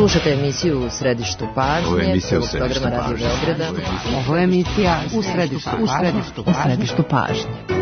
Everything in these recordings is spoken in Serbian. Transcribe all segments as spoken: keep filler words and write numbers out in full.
Slušajte emisiju U središtu pažnje. Ovo je emisija U središtu pažnje. Ovo je emisija U središtu pažnje. U središtu pažnje.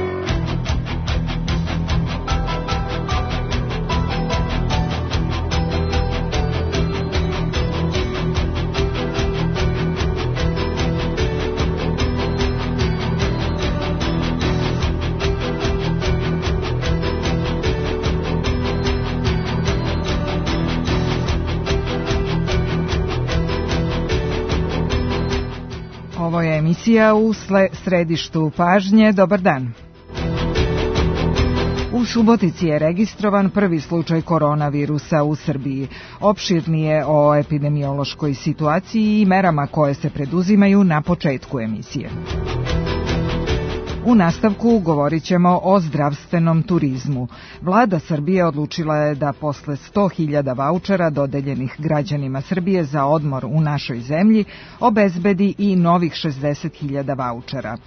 Ovo je emisija U središtu pažnje. Dobar dan. U Subotici je registrovan prvi slučaj koronavirusa u Srbiji. Opširnije o epidemiološkoj situaciji i merama koje se preduzimaju na početku emisije. U nastavku govorit ćemo o zdravstvenom turizmu. Vlada Srbije odlučila je da posle sto hiljada vaučera dodeljenih građanima Srbije za odmor u našoj zemlji obezbedi i novih šezdeset hiljada vaučera.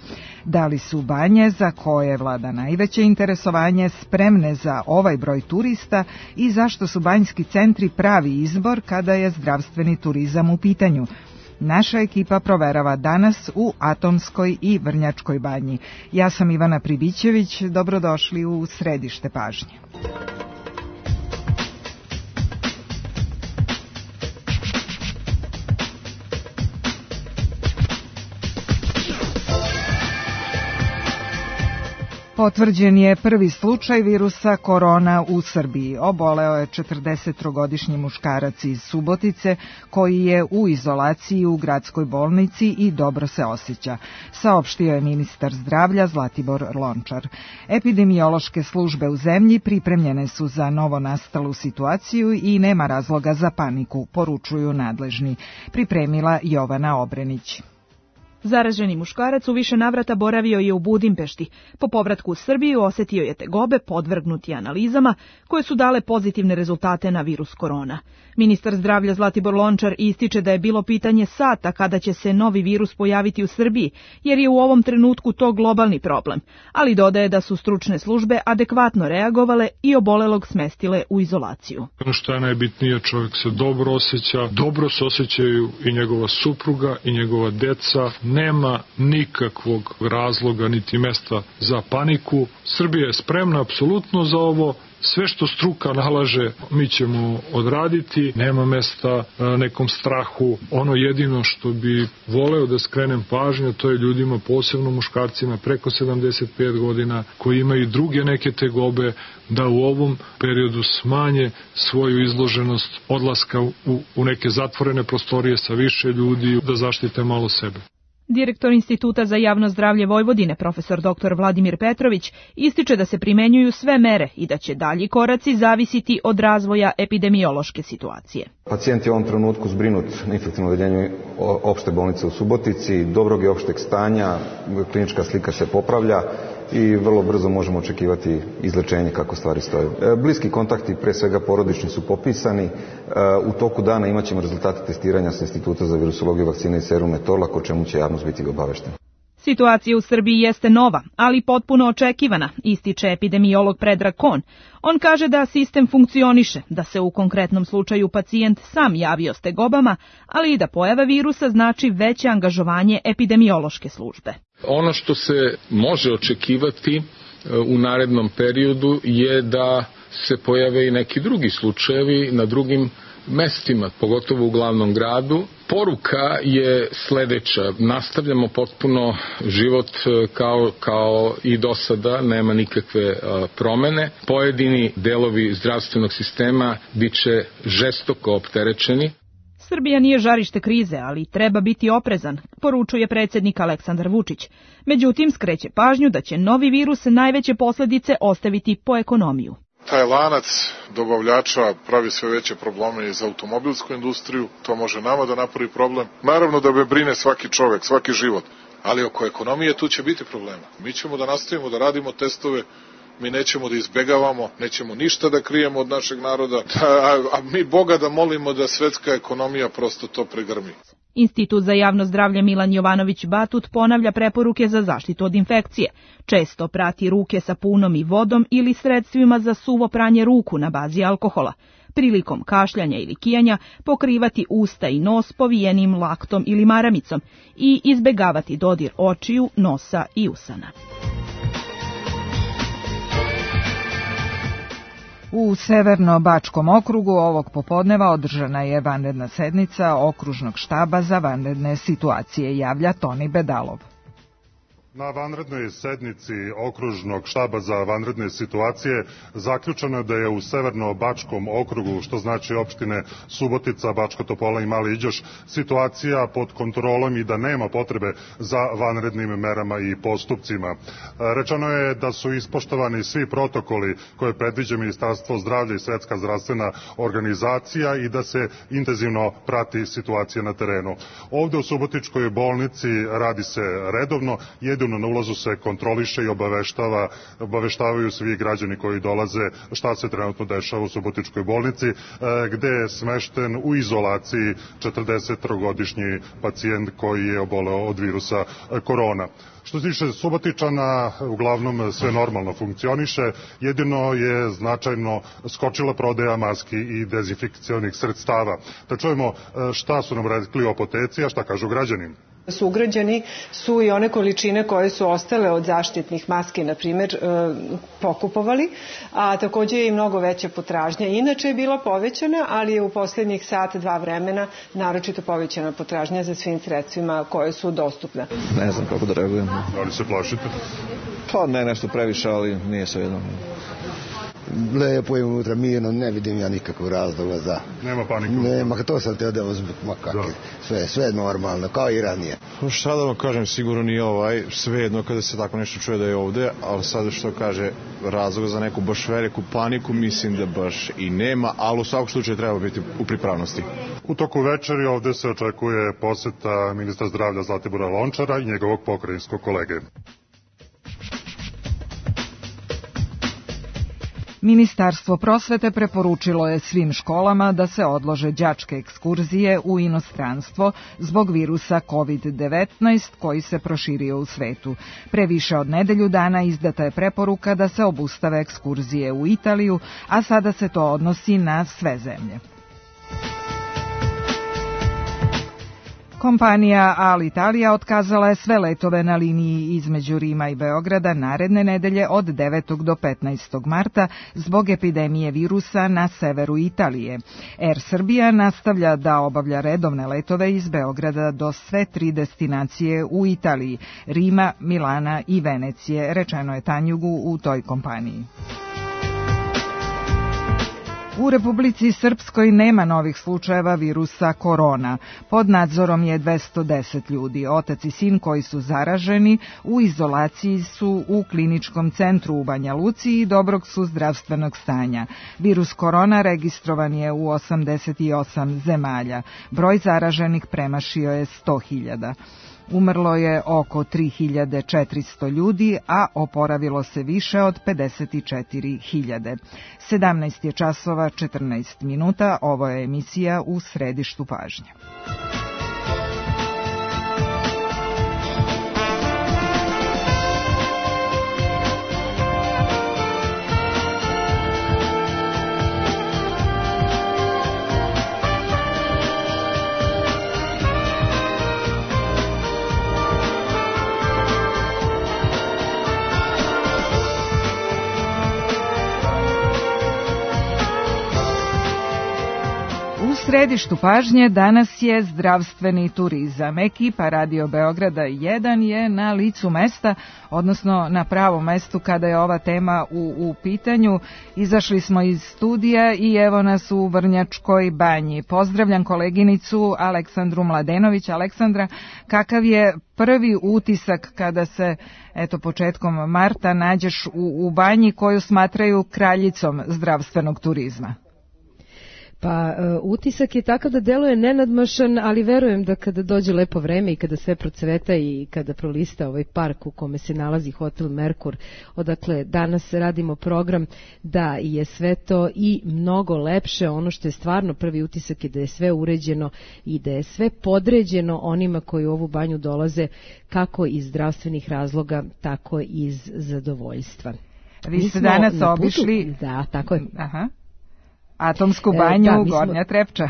Da li su banje, za koje vlada najveće interesovanje, spremne za ovaj broj turista i zašto su banjski centri pravi izbor kada je zdravstveni turizam u pitanju? Naša ekipa proverava danas u Atomskoj i Vrnjačkoj banji. Ja sam Ivana Pribićević, dobrodošli u središte pažnje. Potvrđen je prvi slučaj virusa korona u Srbiji. Oboleo je četrdesettrogodišnji muškarac iz Subotice koji je u izolaciji u gradskoj bolnici i dobro se osjeća, saopštio je ministar zdravlja Zlatibor Lončar. Epidemiološke službe u zemlji pripremljene su za novonastalu situaciju i nema razloga za paniku, poručuju nadležni. Pripremila Jovana Obrenić. Zaraženi muškarac u više navrata boravio je u Budimpešti. Po povratku u Srbiju osetio je tegobe, podvrgnuti analizama, koje su dale pozitivne rezultate na virus korona. Ministar zdravlja Zlatibor Lončar ističe da je bilo pitanje sata kada će se novi virus pojaviti u Srbiji, jer je u ovom trenutku to globalni problem, ali dodaje da su stručne službe adekvatno reagovale i obolelog smestile u izolaciju. Ono što je najbitnije, čovjek se dobro osjeća, dobro se osjećaju i njegova supruga i njegova deca. Nema nikakvog razloga niti mesta za paniku. Srbija je spremna apsolutno za ovo. Sve što struka nalaže mi ćemo odraditi, nema mesta nekom strahu. Ono jedino što bi voleo da skrenem pažnju, to je ljudima, posebno muškarcima preko sedamdeset pet godina, koji imaju druge neke tegobe, da u ovom periodu smanje svoju izloženost odlaska u, u neke zatvorene prostorije sa više ljudi, da zaštite malo sebe. Direktor Instituta za javno zdravlje Vojvodine, profesor doktor Vladimir Petrović, ističe da se primenjuju sve mere i da će dalji koraci zavisiti od razvoja epidemiološke situacije. Pacijent je u ovom trenutku zbrinut na infektivnom odeljenju opšte bolnice u Subotici, dobrog je opšteg stanja, klinička slika se popravlja i vrlo brzo možemo očekivati izlečenje kako stvari stoje. Bliski kontakti, pre svega porodični, su popisani. U toku dana imat ćemo rezultate testiranja sa Instituta za virusologiju, vakcine i serume Torlak, o čemu će javnost biti obaveštena. Situacija u Srbiji jeste nova, ali potpuno očekivana, ističe epidemiolog Predrag Kon. On kaže da sistem funkcioniše, da se u konkretnom slučaju pacijent sam javio s tegobama, ali i da pojava virusa znači veće angažovanje epidemiološke službe. Ono što se može očekivati u narednom periodu je da se pojave i neki drugi slučajevi na drugim mestima, pogotovo u glavnom gradu. Poruka je sledeća: nastavljamo potpuno život kao, kao i do sada, nema nikakve uh, promene. Pojedini delovi zdravstvenog sistema bit će žestoko opterećeni. Srbija nije žarište krize, ali treba biti oprezan, poručuje predsjednik Aleksandar Vučić. Međutim, skreće pažnju da će novi virus najveće posledice ostaviti po ekonomiju. Taj lanac dobavljača pravi sve veće probleme i za automobilsku industriju, to može nama da napravi problem. Naravno da me brine svaki čovek, svaki život, ali oko ekonomije tu će biti problema. Mi ćemo da nastavimo da radimo testove, mi nećemo da izbegavamo, nećemo ništa da krijemo od našeg naroda, a, a mi Boga da molimo da svetska ekonomija prosto to pregrmi. Institut za javno zdravlje Milan Jovanović Batut ponavlja preporuke za zaštitu od infekcije. Često prati ruke sapunom i vodom ili sredstvima za suvo pranje ruku na bazi alkohola. Prilikom kašljanja ili kijanja pokrivati usta i nos povijenim laktom ili maramicom i izbegavati dodir očiju, nosa i usana. U Severno-Bačkom okrugu ovog popodneva održana je vanredna sednica Okružnog štaba za vanredne situacije, javlja Toni Bedalov. Na vanrednoj sednici Okružnog štaba za vanredne situacije zaključeno je da je u Severno-Bačkom okrugu, što znači opštine Subotica, Bačka Topola i Mali Iđoš, situacija pod kontrolom i da nema potrebe za vanrednim merama i postupcima. Rečeno je da su ispoštovani svi protokoli koje predviđa Ministarstvo zdravlja i Svetska zdravstvena organizacija i da se intenzivno prati situacija na terenu. Ovde u Subotičkoj bolnici radi se redovno, jedino na ulazu se kontroliše i obaveštava, obaveštavaju svi građani koji dolaze šta se trenutno dešava u Subotičkoj bolnici, gde je smešten u izolaciji četrdesetogodišnji pacijent koji je oboleo od virusa korona. Što se tiče Subotičana, uglavnom sve normalno funkcioniše, jedino je značajno skočila prodaja maski i dezinfekcionih sredstava. Da čujemo šta su nam rekli u apoteci, a šta kažu građani. Sugrađani su i one količine koje su ostale od zaštitnih maski, na primjer, pokupovali, a također je i mnogo veća potražnja. Inače je bila povećana, ali je u posljednjih sat, dva vremena naročito povećana potražnja za svim sredstvima koje su dostupne. Ne znam kako da reagujem. Da li se plašite? Pa ne nešto previše, ali nije sve jedno. Lepo je unutra, mirno, ne vidim ja nikakvog razloga za... Nema panike? Nema, to sam te odeo zbog makake. Sve, sve normalno, kao i ranije. Šta da vam kažem, sigurno nije ovaj, sve jedno kada se tako nešto čuje da je ovde, ali sada što kaže razloga za neku baš veliku paniku, mislim da baš i nema, ali u svakom slučaju treba biti u pripravnosti. U toku večeri ovde se očekuje poseta ministra zdravlja Zlatibora Lončara i njegovog pokrajinskog kolege. Ministarstvo prosvete preporučilo je svim školama da se odlože đačke ekskurzije u inostranstvo zbog virusa kovid devetnaest koji se proširio u svetu. Pre više od nedelju dana izdata je preporuka da se obustave ekskurzije u Italiju, a sada se to odnosi na sve zemlje. Kompanija Alitalia otkazala je sve letove na liniji između Rima i Beograda naredne nedelje od devetog do petnaestog marta zbog epidemije virusa na severu Italije. Air Srbija nastavlja da obavlja redovne letove iz Beograda do sve tri destinacije u Italiji, Rima, Milana i Venecije, rečeno je Tanjugu u toj kompaniji. U Republici Srpskoj nema novih slučajeva virusa korona. Pod nadzorom je dvesta deset ljudi. Otac i sin koji su zaraženi u izolaciji su u kliničkom centru u Banja Luci i dobrog su zdravstvenog stanja. Virus korona registrovan je u osamdeset osam zemalja. Broj zaraženih premašio je sto hiljada. Umrlo je oko tri hiljade četiristo ljudi, a oporavilo se više od pedeset četiri hiljade. sedamnaest je časova četrnaest minuta, ovo je emisija U središtu pažnje. U središtu pažnje danas je zdravstveni turizam. Ekipa Radio Beograda jedan je na licu mesta, odnosno na pravom mestu kada je ova tema u, u pitanju. Izašli smo iz studija i evo nas u Vrnjačkoj banji. Pozdravljam koleginicu Aleksandru Mladenović. Aleksandra, kakav je prvi utisak kada se, eto, početkom marta nađeš u, u banji koju smatraju kraljicom zdravstvenog turizma? Pa utisak je takav da deluje nenadmašan, ali verujem da kada dođe lepo vreme i kada sve procveta i kada prolista ovaj park u kome se nalazi Hotel Merkur, odakle danas radimo program, da je sve to i mnogo lepše. Ono što je stvarno prvi utisak je da je sve uređeno i da je sve podređeno onima koji u ovu banju dolaze kako iz zdravstvenih razloga, tako i iz zadovoljstva. Vi ste danas obišli... Da, tako je. Aha. Atomsku banju, da, Gornja Trepča.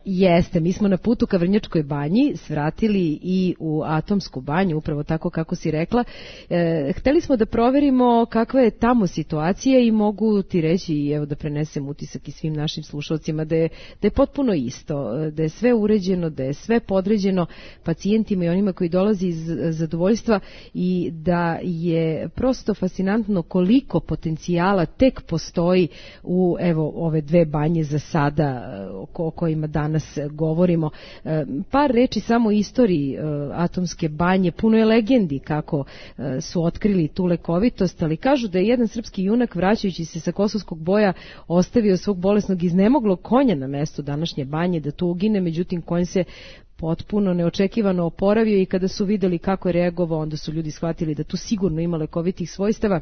Jeste, mi smo na putu ka Vrnjačkoj banji svratili i u Atomsku banju, upravo tako kako si rekla. E, hteli smo da proverimo kakva je tamo situacija i mogu ti reći, i evo da prenesem utisak i svim našim slušalcima, da je, da je potpuno isto, da je sve uređeno, da je sve podređeno pacijentima i onima koji dolazi iz zadovoljstva i da je prosto fascinantno koliko potencijala tek postoji u evo ove dve banje za sada o, o kojima danas danas govorimo. Par reči samo o istoriji Atomske banje, puno je legendi kako su otkrili tu lekovitost, ali kažu da je jedan srpski junak vraćajući se sa Kosovskog boja ostavio svog bolesnog iznemoglog konja na mestu današnje banje da tu ugine, međutim konj se potpuno neočekivano oporavio i kada su videli kako je reagovao, onda su ljudi shvatili da tu sigurno ima lekovitih svojstava.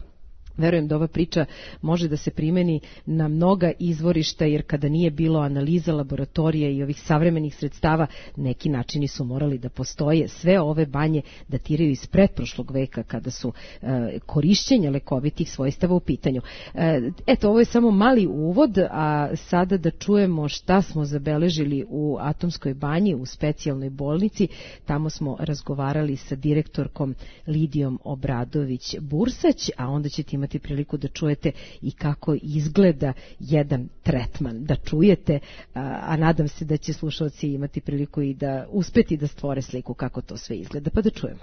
Verujem da ova priča može da se primeni na mnoga izvorišta, jer kada nije bilo analiza laboratorija i ovih savremenih sredstava, neki načini su morali da postoje. Sve ove banje datiraju iz pretprošlog veka kada su e, korišćenja lekovitih svojstava u pitanju. E, eto, ovo je samo mali uvod, a sada da čujemo šta smo zabeležili u Atomskoj banji, u specijalnoj bolnici. Tamo smo razgovarali sa direktorkom Lidijom Obradović-Bursać, a onda ćete imati priliku da čujete i kako izgleda jedan tretman, da čujete, a, a nadam se da će slušalci imati priliku i da uspeti da stvore sliku kako to sve izgleda, pa da čujemo.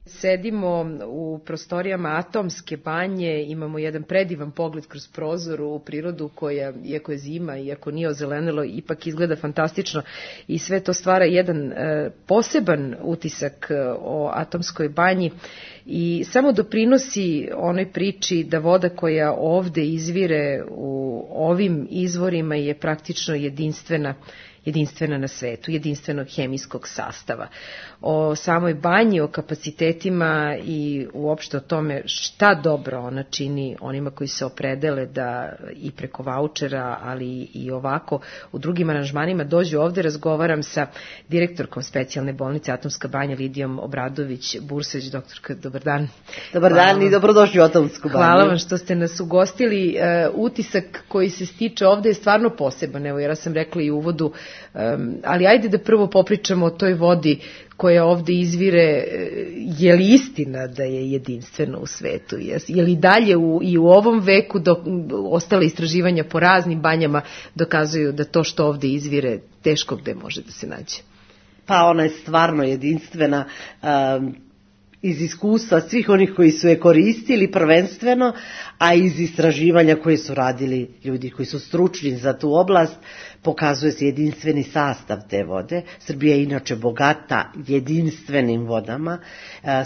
Sedimo u prostorijama Atomske banje, imamo jedan predivan pogled kroz prozor u prirodu koja, iako je zima, iako nije ozelenilo, ipak izgleda fantastično i sve to stvara jedan e, poseban utisak o Atomskoj banji i samo doprinosi onoj priči da voda koja ovde izvire u ovim izvorima je praktično jedinstvena jedinstvena na svetu, jedinstvenog hemijskog sastava. O samoj banji, o kapacitetima i uopšte o tome šta dobro ona čini onima koji se opredele da i preko vaučera, ali i ovako u drugim aranžmanima dođu ovde. Razgovaram sa direktorkom specijalne bolnice Atomska banja Lidijom Obradović-Bursać. Doktorka, dobar dan. Dobar dan Hvala. I dobrodošli u Atomsku banju. Hvala vam što ste nas ugostili. Uh, utisak koji se stiče ovde je stvarno poseban. Evo, ja sam rekla i u uvodu, Um, ali ajde da prvo popričamo o toj vodi koja ovde izvire. Je li istina da je jedinstveno u svetu? Je li dalje u, i u ovom veku do, ostale istraživanja po raznim banjama dokazuju da to što ovde izvire teško gde može da se nađe? Pa ona je stvarno jedinstvena. Um, iz iskustva svih onih koji su je koristili prvenstveno, a iz istraživanja koje su radili ljudi koji su stručni za tu oblast, pokazuje se jedinstveni sastav te vode. Srbija je inače bogata jedinstvenim vodama.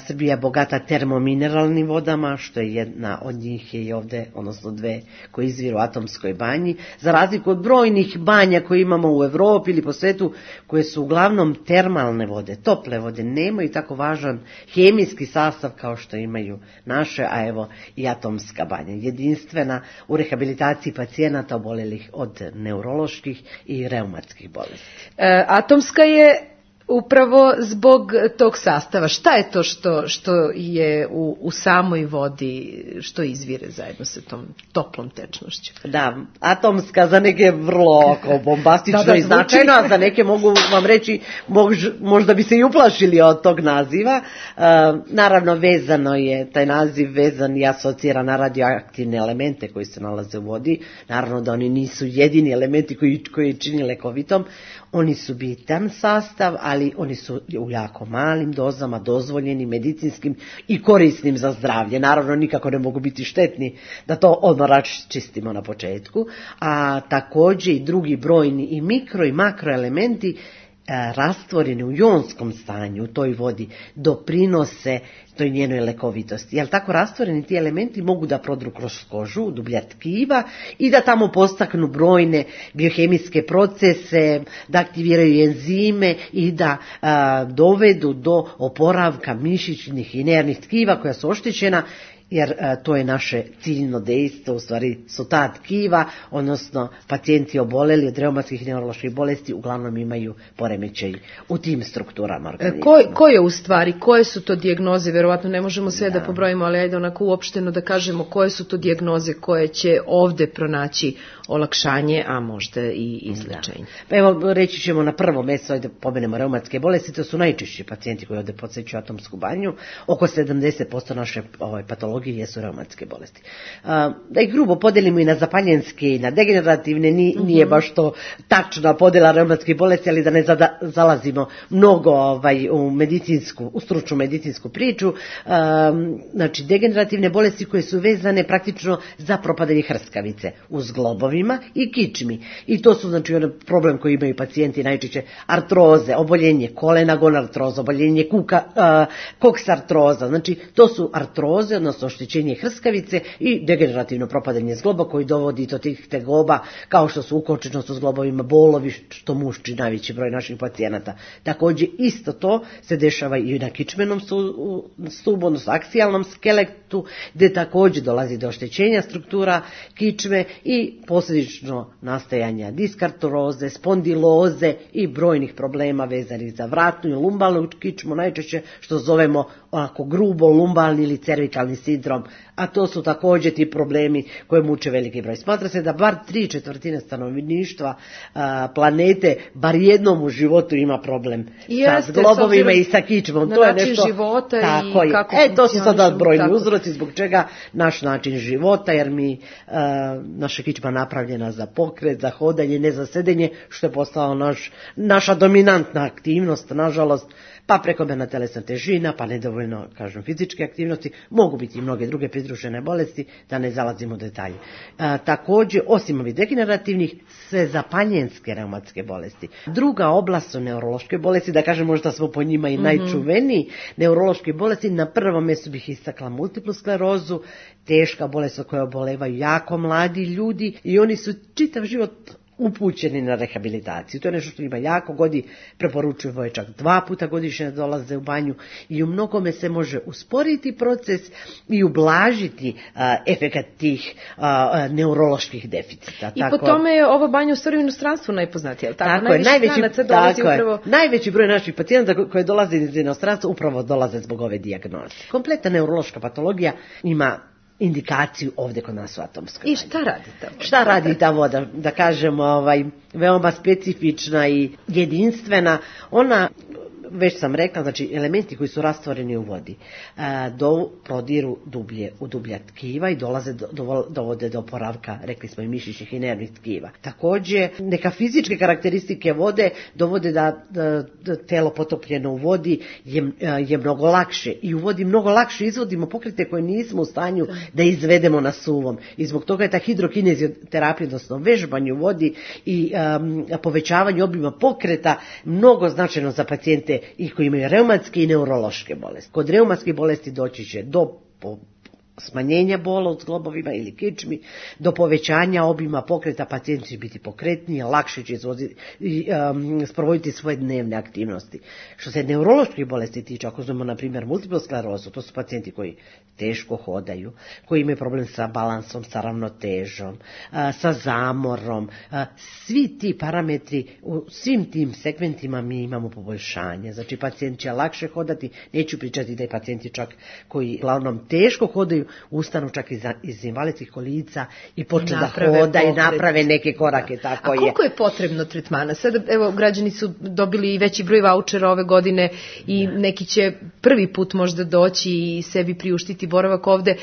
Srbija je bogata termomineralnim vodama, što je jedna od njih je i ovde, odnosno dve koje izviru u Atomskoj banji. Za razliku od brojnih banja koje imamo u Evropi ili po svetu, koje su uglavnom termalne vode, tople vode, nemaju tako važan hemijski sastav kao što imaju naše, a evo i Atomska banja. Jedinstvena u rehabilitaciji pacijenata obolelih od neuroloških i reumatskih bolesti. E, atomska je upravo zbog tog sastava. Šta je to što, što je u, u samoj vodi, što izvire zajedno sa tom toplom tečnošću? Da, atomska za neke vrlo bombastično da, da, i značajno, a za neke mogu vam reći, mož, možda bi se i uplašili od tog naziva. E, naravno, vezano je, taj naziv vezan i asocira na radioaktivne elemente koji se nalaze u vodi. Naravno da oni nisu jedini elementi koji, koji čini lekovitom. Oni su bitan sastav, ali oni su u jako malim dozama dozvoljeni, medicinskim i korisnim za zdravlje. Naravno, nikako ne mogu biti štetni, da to odmah raščistimo na početku. A takođe i drugi brojni i mikro i makroelementi rastvoreni u jonskom stanju u toj vodi doprinose toj njenoj lekovitosti. Jel tako rastvoreni ti elementi mogu da prodru kroz kožu, dublja tkiva i da tamo postaknu brojne biohemijske procese, da aktiviraju enzime i da a, dovedu do oporavka mišićnih i nervnih tkiva koja su oštećena jer a, to je naše ciljno dejstvo, u stvari su ta tkiva, odnosno pacijenti oboleli od reumatskih neuroloških bolesti uglavnom imaju poremećaj u tim strukturama organizma. Ko, ko je u stvari, koje su to dijagnoze, verovatno ne možemo sve da, da pobrojimo, ali ajde onako uopšteno da kažemo koje su to dijagnoze koje će ovde pronaći olakšanje, a možda i izlečenje. Da. Evo, reći ćemo na prvo mesto, da pomenemo reumatske bolesti, to su najčešći pacijenti koji ovde podsećaju atomsku banju, oko sedamdeset posto naše ovaj, patologije jesu reumatske bolesti. A, da ih grubo podelimo i na zapaljenske i na degenerativne, ni, mm-hmm. nije baš to tačna podela reumatskih bolesti, ali da ne zada, zalazimo mnogo ovaj, u medicinsku, u stručnu medicinsku priču. A, znači, degenerativne bolesti koje su vezane praktično za propadanje hrskavice u zglobovima i kičmi. I to su, znači, onaj problem koji imaju pacijenti najčešće artroze, oboljenje kolena, gonartroza, oboljenje kuka, uh, koksartroza. Znači, to su artroze, odnosno oštećenje hrskavice i degenerativno propadanje zgloba koji dovodi do tih tegoba, kao što su ukočenost u zglobovima, bolovi, što mušči najveći broj naših pacijenata. Također, isto to se dešava i na kičmenom stubu, odnosno aksijalnom skeletu, gdje također dolazi do oštećenja struktura kičme i posljedično nastajanja diskartroze, spondiloze i brojnih problema vezanih za vratnu i lumbalnu kičmu, najčešće što zovemo onako grubo lumbalni ili cervikalni sindrom, a to su također ti problemi koje muče veliki broj. Smatra se da bar tri četvrtine stanovništva a, planete bar jednom u životu ima problem Jeste, sa zglobovima i sa kičmom. To je nešto života tako i kako e, to su sada brojni tako. uzroci zbog čega naš način života, jer mi a, naša kičma napravljena za pokret, za hodanje, ne za sedenje, što je postala naš, naša dominantna aktivnost, nažalost, pa prekomerna telesna težina, pa nedovoljno, kažem, fizičke aktivnosti, mogu biti i mnoge druge pridružene bolesti, da ne zalazimo u detalje. A, također, osim ovih degenerativnih, sve zapaljenske reumatske bolesti. Druga oblast su neurološke bolesti, da kažem, možda smo po njima i mm-hmm. najčuveniji. Neurološke bolesti, na prvom mjestu bih istakla multiplu sklerozu, teška bolest od koje obolevaju jako mladi ljudi i oni su čitav život upućeni na rehabilitaciju. To je nešto što ima jako godi, preporučuju voje čak dva puta godišnje dolaze u banju i u mnogome se može usporiti proces i ublažiti a, efekat tih a, neuroloških deficita. I tako, po tome je ova banja u stvari u inostranstvu najpoznatija. Tako, tako je, najveći, tako upravo... je, najveći broj naših pacijenata koje dolaze iz inostranstva upravo dolaze zbog ove dijagnoze. Kompletna neurološka patologija ima indikaciju ovdje kod nas u atomskoj. I šta radi ta voda? Šta radi ta voda? Da kažemo, ovaj, veoma specifična i jedinstvena. Ona, već sam rekla, znači elementi koji su rastvoreni u vodi a, do, prodiru dublje u dublja tkiva i dolaze do, do, dovode do oporavka, rekli smo, i mišićnih i nervnih tkiva. Također, neka fizičke karakteristike vode dovode da, da, da telo potopljeno u vodi je, je mnogo lakše i u vodi mnogo lakše izvodimo pokrete koje nismo u stanju da izvedemo na suvom. I zbog toga je ta hidrokinezioterapija, odnosno vežbanje u vodi i um, povećavanje obima pokreta mnogo značajno za pacijente i koji imaju reumatske i neurološke bolesti. Kod reumatskih bolesti doći će do po, smanjenja bola u zglobovima ili kičmi, do povećanja obima pokreta, pacijent će biti pokretniji, lakše će izvoziti, um, sprovoditi svoje dnevne aktivnosti. Što se neuroloških bolesti tiče, ako znamo na primjer multiplu sklerozu, to su pacijenti koji teško hodaju, koji imaju problem sa balansom, sa ravnotežom, a, sa zamorom. A, svi ti parametri, u svim tim segmentima mi imamo poboljšanje. Znači, pacijent će lakše hodati, neću pričati da je pacijenti čak koji uglavnom teško hodaju, ustanu čak iz, iz invalidskih kolica i počnu da hoda i naprave neke korake. Da. Tako A koliko je. je potrebno tretmana? Sad, evo, građani su dobili i veći broj vaučera ove godine i da. neki će prvi put možda doći i sebi priuštiti boravak ovde.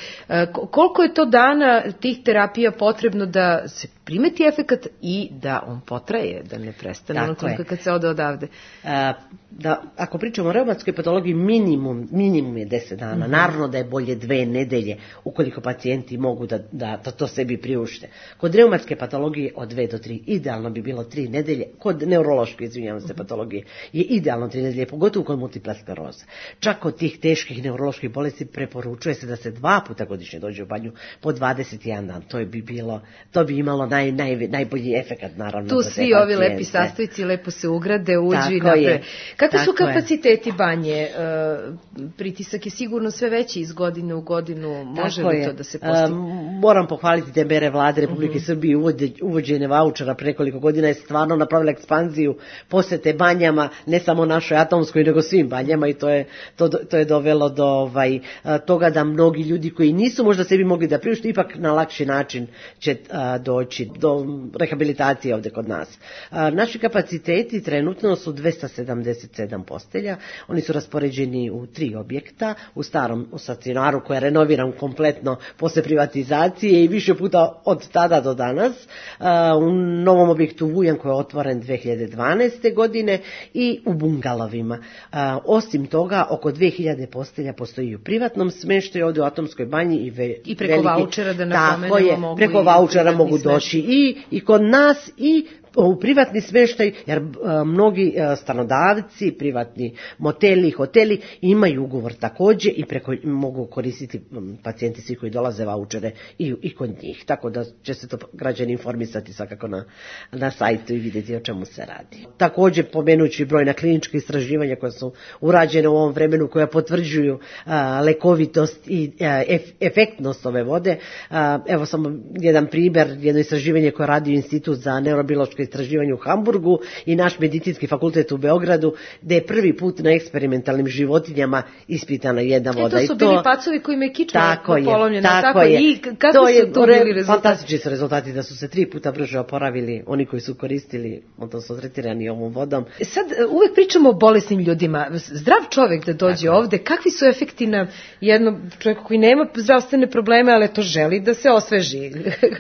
Koliko je to dana tih terapija potrebno da se primeti efekat i da on potraje, da ne prestane ono toliko kad se ode odavde? A, da, ako pričamo o reumatskoj patologiji, minimum, minimum je deset dana. Mm-hmm. Naravno da je bolje dve nedelje ukoliko pacijenti mogu da, da, da to sebi priušte. Kod reumatske patologije od dve do tri, idealno bi bilo tri nedelje. Kod neurološke, izvinjavam se, patologije je idealno tri nedelje, pogotovo kod multipla skleroza. Čak kod tih teških neuroloških bolesti preporučuje se da se dva puta godišnje dođe u banju po dvadeset jedan dan. To bi bilo, to bi imalo naj, naj, najbolji efekat, naravno. Tu svi ovi lepi sastojci lepo se ugrade, uđu i naprave. Kakvi su kapaciteti banje? E, pritisak je sigurno sve veći iz godine u godinu. može li to da se postigne? Moram pohvaliti te mere vlade Republike Srbije, uvođenje vaučera pre nekoliko godina je stvarno napravila ekspanziju posete banjama, ne samo našoj Atomskoj, nego svim banjama i to je, to, to je dovelo do ovaj, toga da mnogi ljudi koji nisu možda sebi mogli da priušte, ipak na lakši način će a, doći do rehabilitacije ovde kod nas. A, naši kapaciteti trenutno su dvesta sedamdeset sedam postelja, oni su raspoređeni u tri objekta, u starom u stacionaru koji je renoviran kompletno posle privatizacije i više puta od tada do danas, u novom objektu Vujan koji je otvoren dve hiljade dvanaeste. godine i u bungalovima. Osim toga, oko dve hiljade postelja postoji u privatnom smeštaju ovde u Atomskoj banji i, ve, i preko veliki, vaučera da napomenemo mogu preko vaučera mogu doći i, i kod nas i u privatni smeštaj, jer a, mnogi a, stanodavci, privatni moteli, hoteli imaju ugovor takođe i preko mogu koristiti m, pacijenti svi koji dolaze vaučere i, i kod njih. Tako da će se to građani informisati svakako na, na sajtu i vidjeti o čemu se radi. Takođe pomenući brojna klinička istraživanja koja su urađene u ovom vremenu, koja potvrđuju a, lekovitost i a, ef, efektnost ove vode. A, evo samo jedan primer, jedno istraživanje koje radi Institut za neurobiološko istraživanje u Hamburgu i naš medicinski fakultet u Beogradu, gde je prvi put na eksperimentalnim životinjama ispitana jedna voda. E, to su I to, bili pacovi kojima je kičma tako polomljena. Tako, tako je. I kako to su je, tu bili rezultati? Fantastični su rezultati, da su se tri puta brže oporavili oni koji su koristili, odnosno tretirani ovom vodom. Sad uvek pričamo o bolesnim ljudima. Zdrav čovek da dođe tako ovde, kakvi su efekti na jednog čovjeka koji nema zdravstvene probleme, ali to želi da se osveži?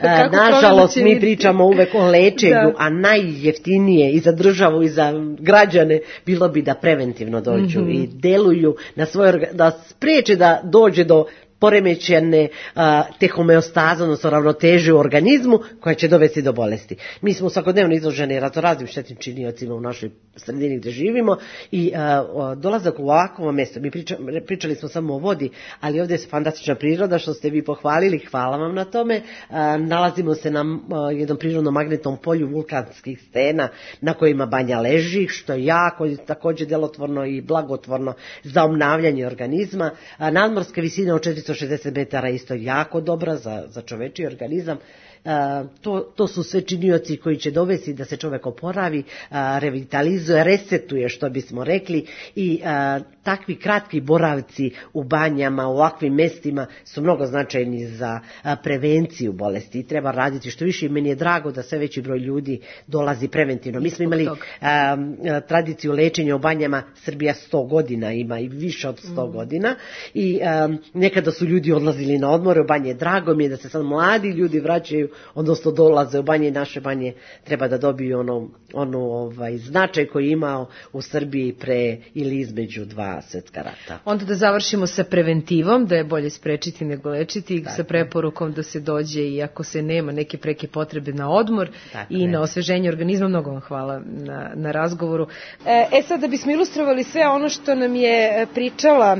Kako nažalost, mi vidjeti? Pričamo uvek o lečenju, da. A najjeftinije i za državu i za građane bilo bi da preventivno dođu mm-hmm. i deluju na svoje, da spreče da dođe do poremećene a, te homeostaze, odnosno ravnoteže u organizmu koja će dovesti do bolesti. Mi smo svakodnevno izloženi raznoraznim štetnim činiocima u našoj sredini gde živimo i a, dolazak u ovakvo mesto, mi priča, pričali smo samo o vodi, ali ovdje je fantastična priroda što ste vi pohvalili, hvala vam na tome. A, nalazimo se na a, jednom prirodnom magnetnom polju vulkanskih stena na kojima banja leži, što je jako također delotvorno i blagotvorno za obnavljanje organizma. A, nadmorska visina od četiristo šezdeset metara isto jako dobra za, za čovečiji organizam. A, to, to su sve činioci koji će dovesti da se čovek oporavi, a, revitalizuje, resetuje, što bismo rekli, i a, takvi kratki boravci u banjama, u ovakvim mestima su mnogo značajni za a, prevenciju bolesti i treba raditi što više. Meni je drago da sve veći broj ljudi dolazi preventivno. Mi smo imali a, a, tradiciju lečenja u banjama, Srbija sto godina ima i više od sto mm. godina i a, nekada su ljudi odlazili na odmore u banje. Drago mi je da se sad mladi ljudi vraćaju, odnosno dolaze u banje. Naše banje treba da dobiju ono, ono ovaj, značaj koji je imao u Srbiji pre ili između dva svetska rata. Onda da završimo sa preventivom, da je bolje sprečiti nego lečiti, tako, sa preporukom da se dođe i ako se nema neke preke potrebe na odmor tako, i na osveženje organizma. Mnogo vam hvala na, na razgovoru. E sad, da bismo ilustrovali sve ono što nam je pričala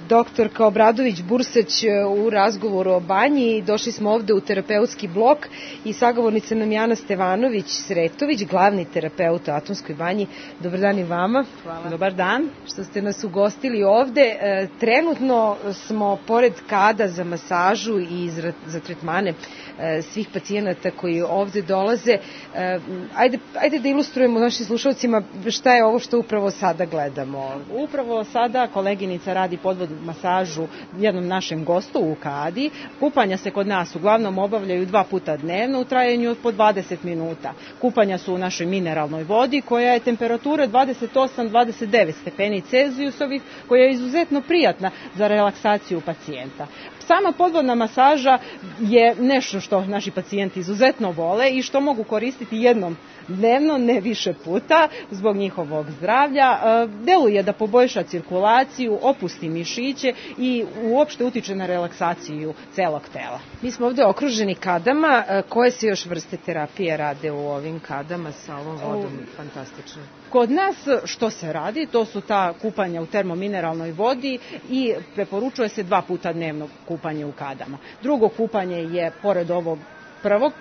doktorka Obradović-Bursać u razgovoru o banji, došli smo ovde u terapeutski blok i sagovornica nam Jana Stevanović-Sretović, glavni terapeut u Atomskoj banji. Dobar dan i vama. Hvala. Dobar dan. Što ste nas ugostili ovde. E, trenutno smo pored kada za masažu i za, za tretmane e, svih pacijenata koji ovde dolaze. E, ajde, ajde da ilustrujemo našim slušalcima šta je ovo što upravo sada gledamo. Upravo sada koleginica radi podvodnu masažu jednom našem gostu u kadi. Kupanja se kod nas uglavnom obavljaju dva puta dnevno u trajanju od po dvadeset minuta. Kupanja su u našoj mineralnoj vodi koja je temperatura dvadeset osam do dvadeset devet stepeni Celzijusovih, koja je izuzetno prijatna za relaksaciju pacijenta. Sama podvodna masaža je nešto što naši pacijenti izuzetno vole i što mogu koristiti jednom dnevno, ne više puta, zbog njihovog zdravlja. Deluje da poboljša cirkulaciju, opusti mišiće i uopšte utiče na relaksaciju celog tela. Mi smo ovde okruženi kadama. Koje se još vrste terapije rade u ovim kadama sa ovom vodom? Fantastično. Kod nas što se radi, to su ta kupanja u termomineralnoj vodi i preporučuje se dva puta dnevno kupanje u kadama. Drugo kupanje je, pored ovog prvog,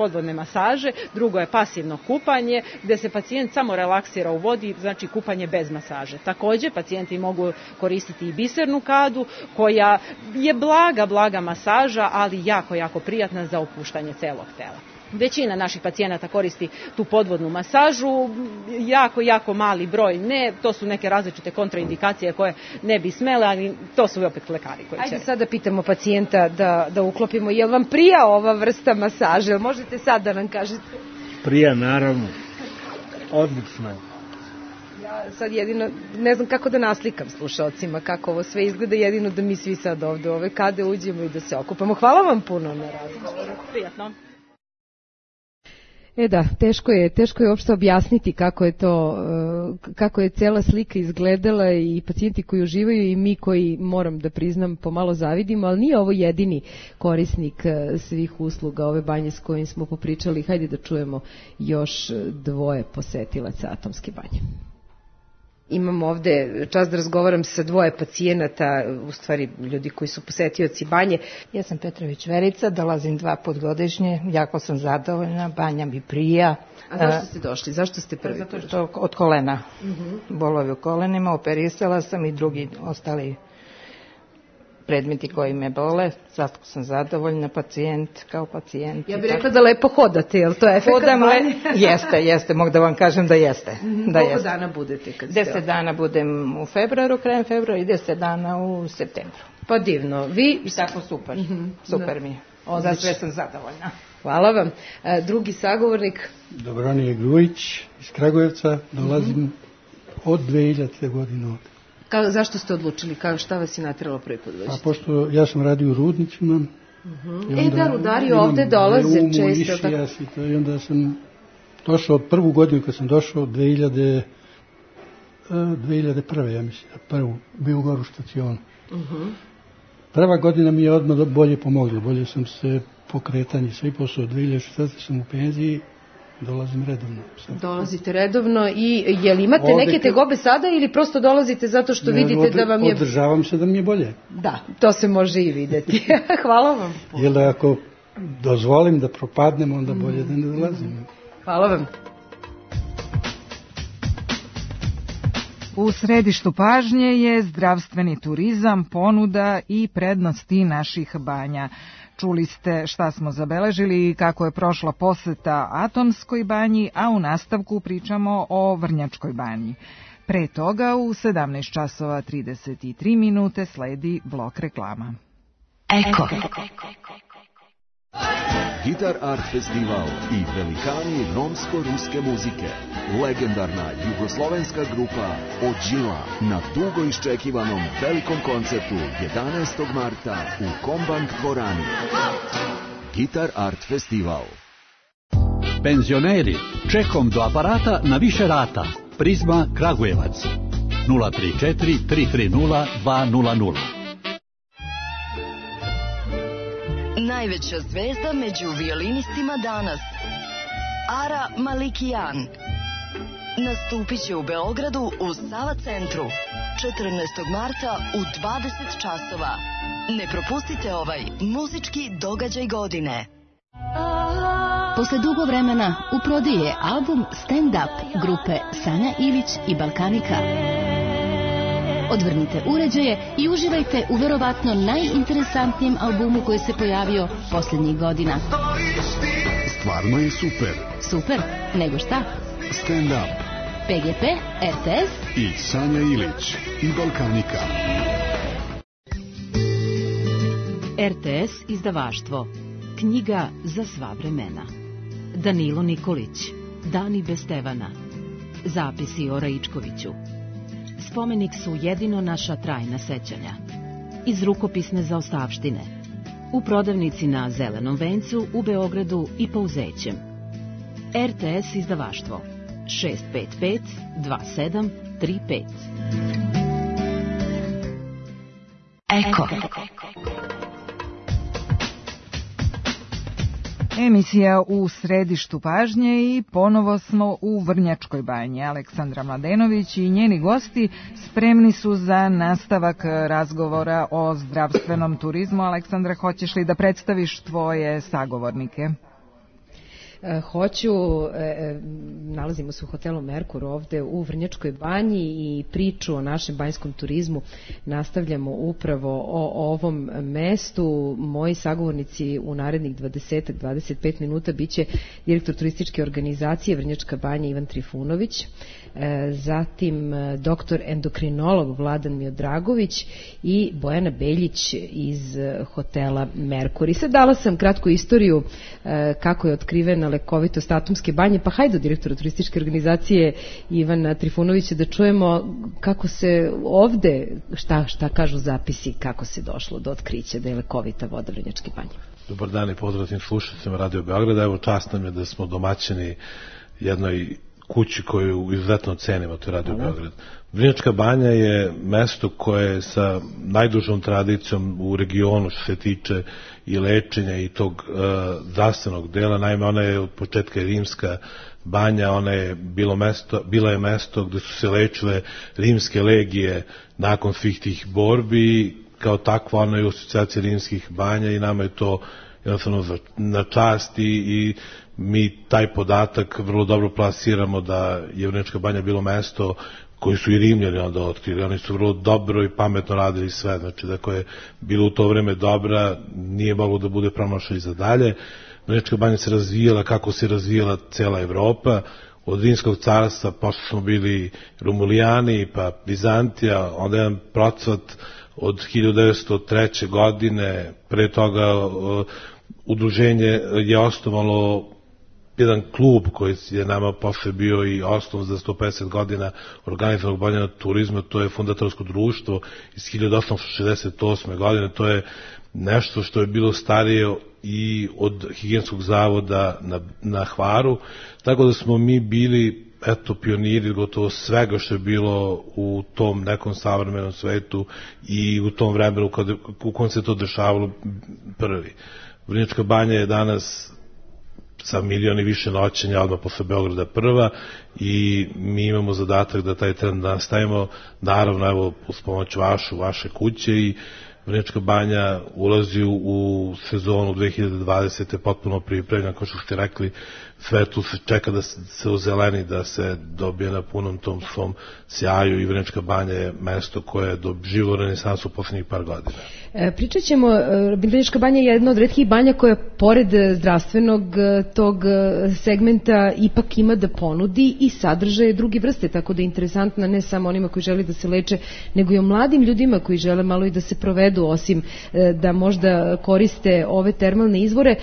podvodne masaže, drugo je pasivno kupanje, gde se pacijent samo relaksira u vodi, znači kupanje bez masaže. Takođe, pacijenti mogu koristiti i bisernu kadu, koja je blaga, blaga masaža, ali jako, jako prijatna za opuštanje celog tela. Većina naših pacijenata koristi tu podvodnu masažu, jako, jako mali broj ne, to su neke različite kontraindikacije koje ne bi smele, ali to su opet lekari koji će... Ajde sad da pitamo pacijenta da, da uklopimo, je li vam prija ova vrsta masaže? Možete sad da nam kažete? Prija, naravno. Odlično je. Ja sad jedino, ne znam kako da naslikam slušalcima, kako ovo sve izgleda, jedino da mi svi sad ovde ove kade uđemo i da se okupamo. Hvala vam puno na razgovoru. Prijatno. E da, teško je, teško je uopšte objasniti kako je to, kako je cela slika izgledala i pacijenti koji uživaju i mi koji, moram da priznam, pomalo zavidimo, ali nije ovo jedini korisnik svih usluga ove banje s kojim smo popričali. Hajde da čujemo još dvoje posetilaca Atomske banje. Imam ovde čast da razgovaram sa dvoje pacijenata, u stvari ljudi koji su posetioci banje. Ja sam Petrović Verica, dolazim dva put godišnje, jako sam zadovoljna, banja mi prija. A zašto ste došli? Zašto ste prvi? Zato što od kolena, uh-huh. bolovi u kolenima, operisala sam i drugi ostali predmeti koji me bole, zato sam zadovoljna, pacijent kao pacijent. Ja bih rekla da lepo hodate, je li to efekat banje? Jeste, jeste, mogu da vam kažem da jeste. Mm-hmm. Da Koliko jeste. dana budete? Kad ste deset dana budem u februaru, krajem februara i deset dana u septembru. Pa divno. Vi... I tako super, mm-hmm. super da. Mi je. Za sve sam zadovoljna. Hvala vam. E, drugi sagovornik? Dobronije Grujić iz Kragujevca, dolazim mm-hmm. od dve hiljadite godine ovde. Kao, zašto ste odlučili? Kao, šta vas je nateralo prvi put dođete? A pošto ja sam radio u rudnicima. Uh-huh. E da, rudari ovde dolaze često. Tako... I onda sam došao, prvu godinu kad sam došao, dve hiljade prve, ja mislim, prvu, bio u Goru štaciju. Uh-huh. Prva godina mi je odmah bolje pomogla, bolje sam se pokretanje, sve posao, dve hiljade šesnaeste sam u penziji, dolazim redovno. Sad. Dolazite redovno i je li imate ovde, neke tegobe sada ili prosto dolazite zato što ne, vidite od, da vam je... Održavam se da mi je bolje. Da, to se može i videti. Hvala vam. Jer da ako dozvolim da propadnem, onda bolje da ne dolazim. Hvala vam. U središtu pažnje je zdravstveni turizam, ponuda i prednosti naših banja. Čuli ste šta smo zabeležili i kako je prošla poseta Atomskoj banji, a u nastavku pričamo o Vrnjačkoj banji. Pre toga u sedamnaest časova trideset tri minute sledi blok reklama. Eko. Gitar Art Festival i velikani romsko-ruske muzike. Legendarna jugoslovenska grupa Ođila na dugo iščekivanom velikom koncertu jedanaestog marta u Kombank dvorani. Gitar Art Festival. Penzioneri, čekom do aparata na više rata. Prizma Kragujevac. nula tri četiri tri tri nula dva nula nula. Najveća zvezda među violinistima danas, Ara Malikijan, nastupit će u Beogradu u Sava centru četrnaestog marta u dvadeset časova. Ne propustite ovaj muzički događaj godine. Posle dugo vremena u prodiji je album Stand Up grupe Sanja Ilić i Balkanika. Odvrnite uređaje i uživajte u verovatno najinteresantnijem albumu koji se pojavio posljednjih godina. Stvarno je super. Super? Nego šta? Stand Up. P G P, R T S i Sanja Ilić i Balkanika. R T S izdavaštvo. Knjiga za sva vremena. Danilo Nikolić. Dani bez Stevana. Zapisi o Raičkoviću. Spomenik su jedino naša trajna sećanja. Iz rukopisne zaostavštine. U prodavnici na Zelenom vencu u Beogradu i Pouzećem. R T S izdavaštvo. šest pet pet dva sedam tri pet. Eko. Emisija u središtu pažnje i ponovo smo u Vrnjačkoj banji. Aleksandra Mladenović i njeni gosti spremni su za nastavak razgovora o zdravstvenom turizmu. Aleksandra, hoćeš li da predstaviš tvoje sagovornike? Hoću, nalazimo se u hotelu Merkur ovde u Vrnjačkoj banji i priču o našem banjskom turizmu nastavljamo upravo o ovom mestu. Moji sagovornici u narednih dvadeset do dvadeset pet minuta biće direktor turističke organizacije Vrnjačka banja Ivan Trifunović, zatim doktor endokrinolog Vladan Miodragović i Bojana Beljić iz hotela Merkur. I sad dala sam kratku istoriju kako je otkrivena lekovitost Atomske banje, pa hajde od direktora turističke organizacije Ivana Trifunovića da čujemo kako se ovde, šta, šta kažu zapisi, kako se došlo do otkrića da je lekovita voda Vrnjačke banje. Dobar dan i pozdrav svim slušateljima Radio Beograda. Evo, čast nam je da smo domaćini jednoj kući koju izuzetno cenimo, to je Radio Beograd. Vrnjačka banja je mesto koje je sa najdužom tradicijom u regionu što se tiče i lečenja i tog uh, zdravstvenog dela. Naime, ona je od početka rimska banja, ona je bilo mesto, bila je mesto gde su se lečile rimske legije nakon svih tih borbi. Kao takva ona je u asocijaciji rimskih banja i nama je to jednostavno na čast i, i mi taj podatak vrlo dobro plasiramo da je Vrnjačka banja bilo mesto koji su i Rimljani onda otkrili. Oni su vrlo dobro i pametno radili sve. Znači, da je bilo u to vreme dobra, nije moglo da bude promašaj za dalje. Vrnjačka banja se razvijala kako se razvijala cela Evropa. Od Rimskog carstva posle smo bili Romulijani, pa Bizantija, onda jedan procvat od hiljadu devetsto treće. godine, pre toga uh, udruženje je osnovalo jedan klub koji je nama posle bio i osnov za sto pedeset godina organizovanog bavljenja turizma, to je Fundatorsko društvo iz hiljadu osamsto šezdeset osme. godine, to je nešto što je bilo starije i od Higijenskog zavoda na, na Hvaru, tako da smo mi bili eto pioniri gotovo svega što je bilo u tom nekom savremenom svetu i u tom vremenu kada, u kojem se to dešavalo prvi. Vrnjačka banja je danas sa milion i više noćenja odmah posle Beograda prva i mi imamo zadatak da taj trend nastavimo, naravno evo uz pomoć vašu, vaše kuće i Vrnjačka banja ulazi u sezonu dve hiljade dvadesete. potpuno pripremljena, kao što ste rekli, sve tu se čeka da se ozeleni, da se dobije na punom tom svom sjaju i Vrnjačka banja je mesto koje je doživilo renesansu u poslednjih par godina. E, pričat ćemo, Vrnjačka banja je jedna od retkih banja koja pored zdravstvenog tog segmenta ipak ima da ponudi i sadržaje druge vrste, tako da je interesantna ne samo onima koji žele da se leče, nego i o mladim ljudima koji žele malo i da se provedu, osim da možda koriste ove termalne izvore.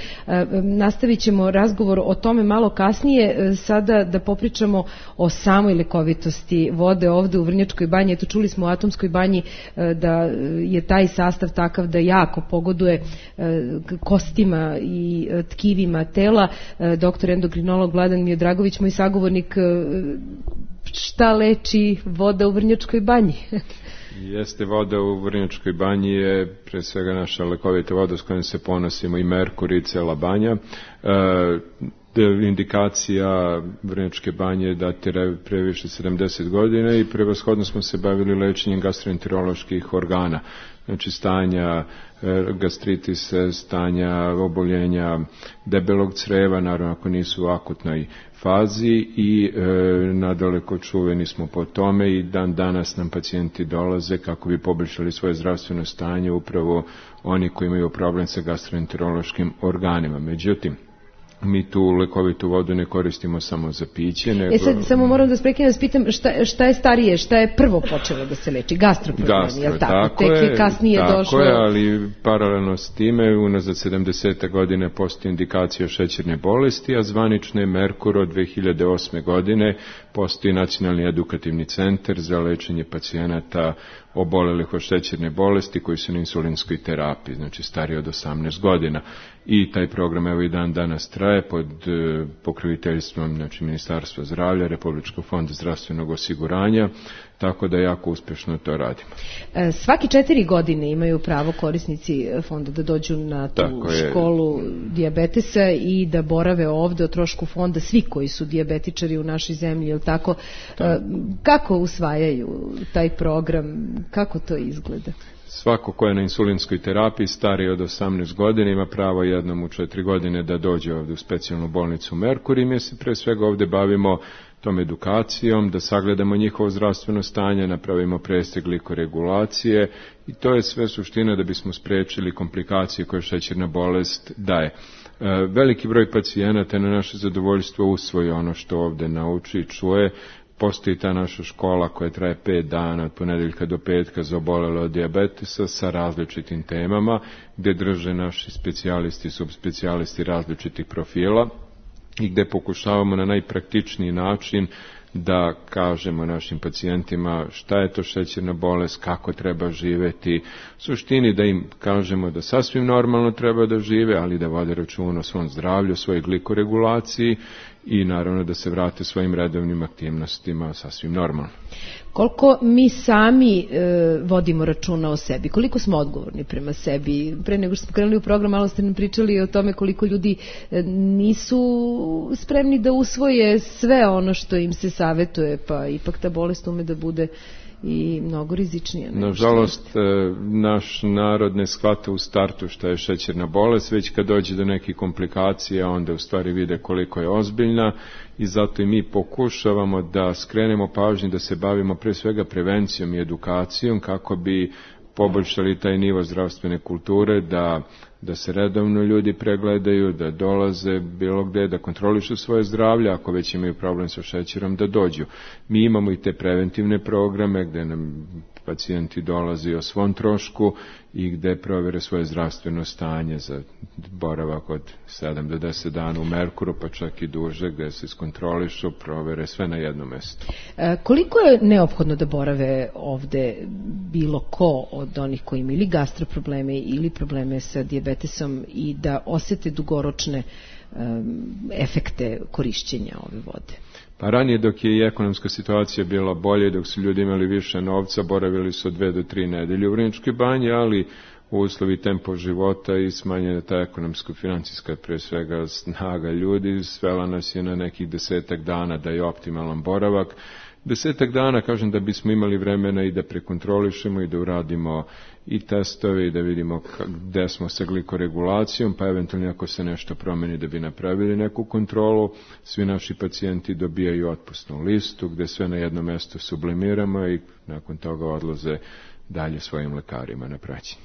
Nastavit ćemo razgovor o tome malo kasnije, sada da popričamo o samoj lekovitosti vode ovde u Vrnjačkoj banji. Eto, čuli smo u Atomskoj banji da je taj sastav takav da jako pogoduje kostima i tkivima tela. Doktor endokrinolog Vladan Miodragović, moj sagovornik, šta leči voda u Vrnjačkoj banji? Jeste, voda u Vrnjačkoj banji je pre svega naša lekovita voda s kojom se ponosimo i Merkur i cela banja. E, indikacija Vrnjačke banje datira previše sedamdeset godina i prevashodno smo se bavili lečenjem gastroenteroloških organa, znači stanja gastritisa, stanja oboljenja debelog creva, naravno ako nisu u akutnoj fazi i e, nadaleko čuveni smo po tome i dan danas nam pacijenti dolaze kako bi poboljšali svoje zdravstveno stanje, upravo oni koji imaju problem sa gastroenterološkim organima. Međutim, mi tu lekovitu vodu ne koristimo samo za piće, nego... E sad, samo moram da sprekinem, da pitam šta, šta je starije, šta je prvo počelo da se leči? Gastroproblemi, Gastro, je li tako? Tako Tek je, kasnije tako došlo... je, ali paralelno s time, unazad sedamdesete godine postoji indikacija šećerne bolesti, a zvanično je Merkur od dve hiljade osme. godine postoji Nacionalni edukativni centar za lečenje pacijenata obolelih od šećerne bolesti koji su na insulinskoj terapiji, znači stariji od osamnaest godina. I taj program evo i dan danas traje pod e, pokroviteljstvom znači Ministarstva zdravlja, Republičkog fonda zdravstvenog osiguranja, tako da jako uspješno to radimo. E, svaki četiri godine imaju pravo korisnici fonda da dođu na tu školu dijabetesa i da borave ovde o trošku fonda svi koji su dijabetičari u našoj zemlji, jel tako? E, kako usvajaju taj program? Kako to izgleda? Svako ko je na insulinskoj terapiji stariji od osamnaest godina ima pravo jednom u četiri godine da dođe ovde u specijalnu bolnicu Merkur i mi se pre svega ovde bavimo tom edukacijom, da sagledamo njihovo zdravstveno stanje, napravimo prestek glikoregulacije i to je sve suština da bismo sprečili komplikacije koje šećerna bolest daje. Veliki broj pacijenata na naše zadovoljstvo usvoji ono što ovde nauči i čuje. Postoji ta naša škola koja traje pet dana od ponedeljka do petka za obolele od dijabetesa sa različitim temama gde drže naši specijalisti i subspecijalisti različitih profila i gde pokušavamo na najpraktičniji način da kažemo našim pacijentima šta je to šećerna bolest, kako treba živeti, u suštini da im kažemo da sasvim normalno treba da žive, ali da vode računa o svom zdravlju, o svojoj glikoregulaciji i naravno da se vrate svojim redovnim aktivnostima sasvim normalno. Koliko mi sami e, vodimo računa o sebi, koliko smo odgovorni prema sebi? Pre nego što smo krenuli u program, malo ste nam pričali o tome koliko ljudi e, nisu spremni da usvoje sve ono što im se savetuje, pa ipak ta bolest ume da bude i mnogo rizičnije. Nažalost, naš narod ne shvata u startu šta je šećerna bolest, već kad dođe do nekih komplikacija, onda u stvari vide koliko je ozbiljna i zato i mi pokušavamo da skrenemo pažnju, da se bavimo pre svega prevencijom i edukacijom kako bi poboljšali taj nivo zdravstvene kulture, da, da se redovno ljudi pregledaju, da dolaze bilo gde, da kontrolišu svoje zdravlje, ako već imaju problem sa šećerom, da dođu. Mi imamo i te preventivne programe gde nam pacijenti dolazi o svom trošku i gde provere svoje zdravstveno stanje za boravak od sedam do deset dana u Merkuru, pa čak i duže, gde se iskontrolišu, provere sve na jednom mestu. E, koliko je neophodno da borave ovde bilo ko od onih koji imaju ili gastroprobleme ili probleme sa dijabetesom i da osete dugoročne um, efekte korišćenja ove vode? Pa ranije dok je i ekonomska situacija bila bolje, dok su ljudi imali više novca, boravili su od dve do tri nedelje u Vrnjačkoj banji, ali u uslovi tempo života i smanjena ta ekonomsko-financijska pre svega snaga ljudi, svela nas je na nekih desetak dana da je optimalan boravak. Desetak dana, kažem, da bismo imali vremena i da prekontrolišemo i da uradimo i testove i da vidimo gde smo sa glikoregulacijom, pa eventualno ako se nešto promeni da bi napravili neku kontrolu. Svi naši pacijenti dobijaju otpusnu listu gde sve na jedno mesto sublimiramo i nakon toga odlaze dalje svojim lekarima na praćenje.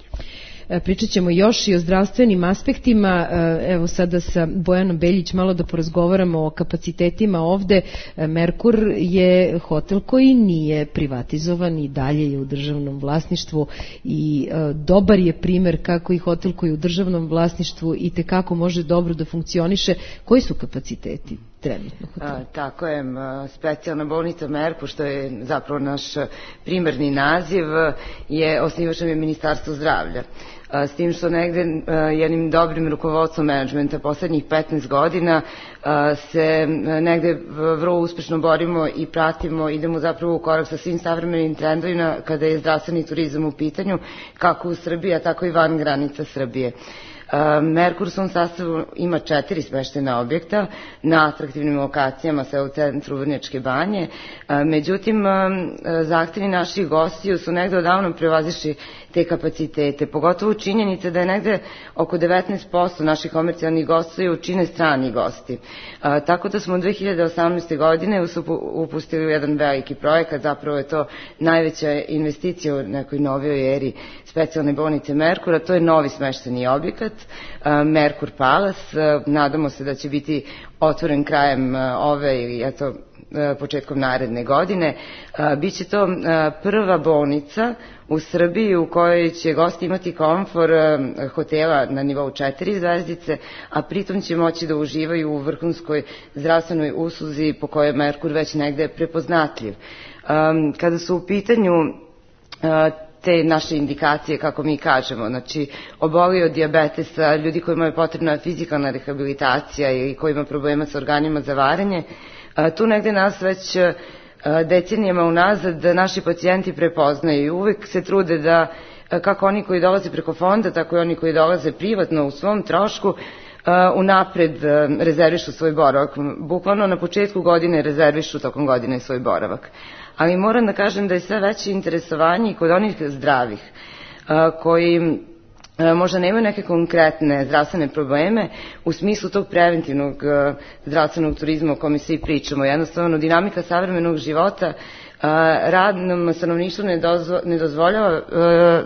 Pričat ćemo još i o zdravstvenim aspektima. Evo sada sa Bojanom Beljić malo da porazgovaramo o kapacitetima ovde. Merkur je hotel koji nije privatizovan i dalje je u državnom vlasništvu i dobar je primer kako i hotel koji je u državnom vlasništvu i tekako može dobro da funkcioniše. Koji su kapaciteti trenutno hotela? Tako je, specijalna bolnica Merkur, što je zapravo naš primarni naziv, je osnivač je Ministarstvo zdravlja. S tim što negde jednim dobrim rukovodstvom menadžmenta poslednjih petnaest godina se negde vrlo uspešno borimo i pratimo, idemo zapravo u korak sa svim savremenim trendovima kada je zdravstveni turizam u pitanju, kako u Srbiji, a tako i van granica Srbije. Merkur u svom sastavu ima četiri smeštena objekta na atraktivnim lokacijama, sve u centru Vrnjačke banje. Međutim, zahtevi naših gostiju su negde odavno prevazišli te kapacitete, pogotovo činjenica da je negde oko devetnaest posto naših komercijalnih gostiju čine strani gosti. Tako da smo dve hiljade osamnaeste. godine upustili u jedan veliki projekat, zapravo je to najveća investicija u nekoj novoj eri specijalne bolnice Merkura, to je novi smešteni objekat, Merkur Palace. Nadamo se da će biti otvoren krajem ove ili eto početkom naredne godine. Biće to prva bolnica u Srbiji u kojoj će gosti imati komfor hotela na nivou četiri zvezdice, a pritom će moći da uživaju u vrhunskoj zdravstvenoj usluzi po kojoj je Merkur već negde prepoznatljiv. Kada su u pitanju te naše indikacije, kako mi kažemo, znači oboli od dijabetesa, ljudi kojima je potrebna fizikalna rehabilitacija ili koji ima problema sa organima za varenje, tu negde nas već decenijama unazad naši pacijenti prepoznaju i uvek se trude da, kako oni koji dolaze preko fonda, tako i oni koji dolaze privatno u svom trošku, unapred rezervišu svoj boravak. Bukvalno na početku godine rezervišu tokom godine svoj boravak. Ali moram da kažem da je sve veće interesovanje i kod onih zdravih. koji možda nemaju neke konkretne zdravstvene probleme u smislu tog preventivnog zdravstvenog turizma o kome svi pričamo. Jednostavno, dinamika savremenog života radnom stanovništvu ne, dozvo, ne dozvoljava